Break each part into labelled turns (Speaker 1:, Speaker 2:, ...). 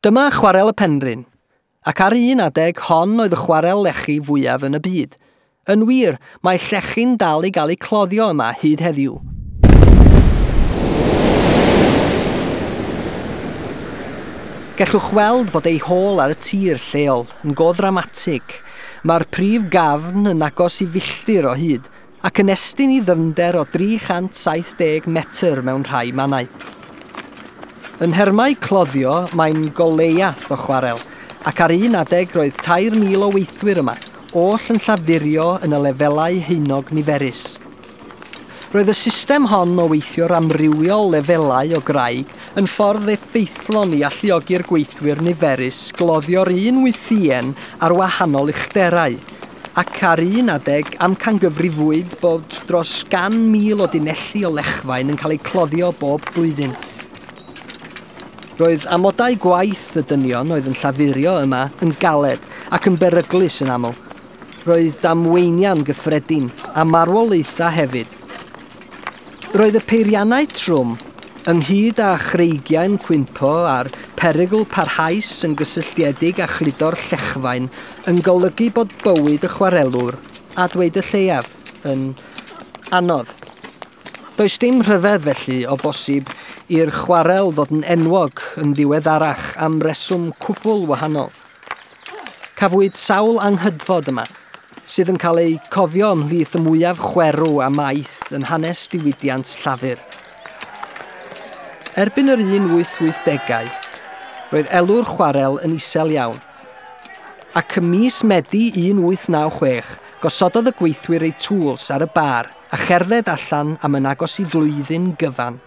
Speaker 1: Dyma Chwarel y Penrhyn, ac ar un adeg hon oedd y chwarel lechi fwyaf yn y byd. Yn wir, mae llechi'n dal i gael ei cloddio yma hyd heddiw. Gellwch weld fod ei hôl ar y tir lleol yn go ddramatig. Mae'r prif gafn yn agos i filltir o hyd ac yn estyn i ddyfnder o 370 metr mewn rhai mannau. Yn nhermau cloddio, mae'n goleiath o chwarel, ac ar un adeg roedd 3,000 o weithwyr yma, oll yn llafurio yn y lefelau haenog niferus. Roedd y system hon o weithio'r amrywiol lefelau o graig yn ffordd effeithlon i alluogi'r gweithwyr niferus gloddio'r un wythïen ar wahanol uchderau, ac ar un adeg amcangyfrifwyd bod dros 100,000 o dunelli o lechfaen yn cael eu cloddio bob blwyddyn. Roedd amodau gwaith y dynion oedd yn llafurio yma yn galed ac yn beryglus yn aml. Roedd damweiniau'n gyffredin a marwolaethau hefyd. Roedd y peiriannau trwm, ynghyd â chreigiau'n cwympo a'r perygl parhaus yn gysylltiedig â chludo'r llechfaen, yn golygu bod bywyd y chwarelwr, a dweud y lleiaf, yn anodd. Does dim rhyfedd felly o bosib i'r chwarel ddod yn enwog yn ddiweddarach am reswm cwbl wahanol. Cafwyd sawl anghydfod yma, sydd yn cael eu cofio ymhlith y mwyaf chwerw a maith yn hanes diwydiant llafur. Erbyn yr 1880au, roedd elw'r chwarel yn isel iawn, ac ym mis Medi 1896, gosododd y gweithwyr eu tools ar y bar a cherdded allan am yn agos i flwyddyn gyfan.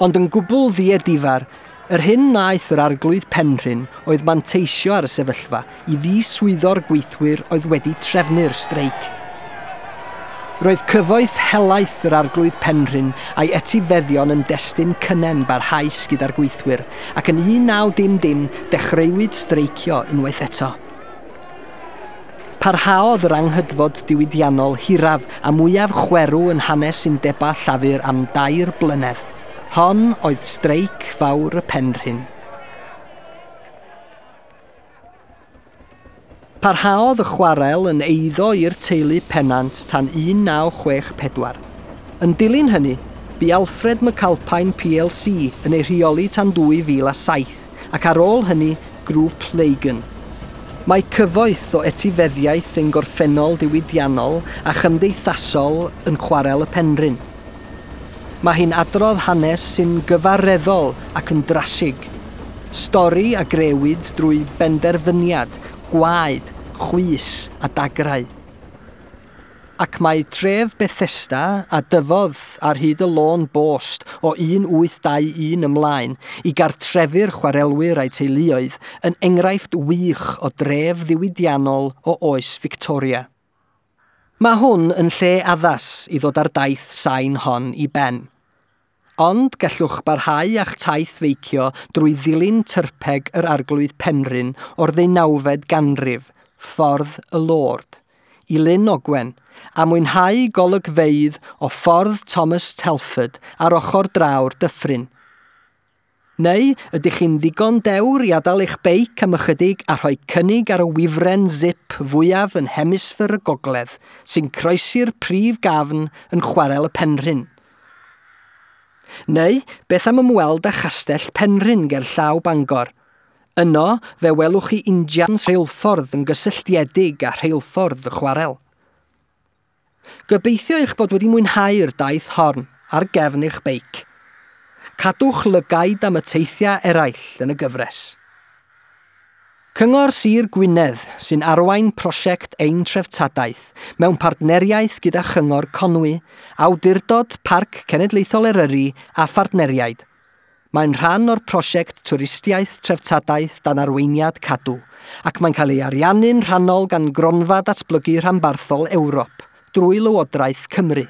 Speaker 1: Ond yn gwbl ddiedifar, yr hyn wnaeth yr arglwydd Penrhyn oedd manteisio ar y sefyllfa i ddiswyddo'r gweithwyr oedd wedi trefnu'r streic. Roedd cyfoeth helaeth yr arglwydd Penrhyn a'i etifeddion yn destun cynnen barhaus gyda'r gweithwyr, ac yn 1900 dechreuwyd streicio unwaith eto. Parhaodd yr anghydfod diwydiannol hiraf a mwyaf chwerw yn hanes undebau llafur am 3 blynedd. Hon oedd streic fawr y Penrhyn. Parhaodd y chwarel yn eiddo i'r teulu Pennant tan 1964. Yn dilyn hynny, bu Alfred McAlpine PLC yn ei rheoli tan 2007, ac ar ôl hynny, Grŵp Lagan. Mae cyfoeth o etifeddiaeth ein gorffennol diwydiannol a chymdeithasol yn Chwarel y Penrhyn. Mae hi'n adrodd hanes sy'n gyfareddol ac yn drasig. Stori a grëwyd drwy benderfyniad, gwaed, chwys a dagrau. Ac mae tref Bethesda a dyfodd ar hyd y lôn bost o 1821 ymlaen i gartrefu'r chwarelwyr a'u teuluoedd yn enghraifft wych o dref ddiwydiannol o oes Victoria. Mae hwn yn lle addas i ddod â'r daith sain hon i ben. Ond gellwch barhau â'ch taith feicio drwy ddilyn tyrpeg yr arglwydd Penrhyn o'r 19fed ganrif, Ffordd y Lord, i Lyn Ogwen, a mwynhau golygfeydd o Ffordd Thomas Telford ar ochr draw'r dyffryn. Neu ydych chi'n ddigon dewr i adael eich beic am ychydig a rhoi cynnig ar y wifren zip fwyaf yn hemisffer y gogledd sy'n croesi'r prif gafn yn Chwarel y Penrhyn? Neu beth am ymweld â Chastell Penrhyn ger llaw Bangor? Yno, fe welwch chi injans rheilffordd yn gysylltiedig â rheilffordd y chwarel. Gobeithio eich bod wedi mwynhau'r daith hon ar gefn eich beic. Cadwch lygaid am y teithiau eraill yn y gyfres. Cyngor Sir Gwynedd sy'n arwain prosiect Ein Treftadaeth mewn partneriaeth gyda Chyngor Conwy, Awdurdod Parc Cenedlaethol Eryri a phartneriaid. Mae'n rhan o'r prosiect Twristiaeth Treftadaeth dan arweiniad Cadw, ac mae'n cael ei ariannu'n rhannol gan Gronfa Datblygu Rhanbarthol Ewrop drwy Lywodraeth Cymru.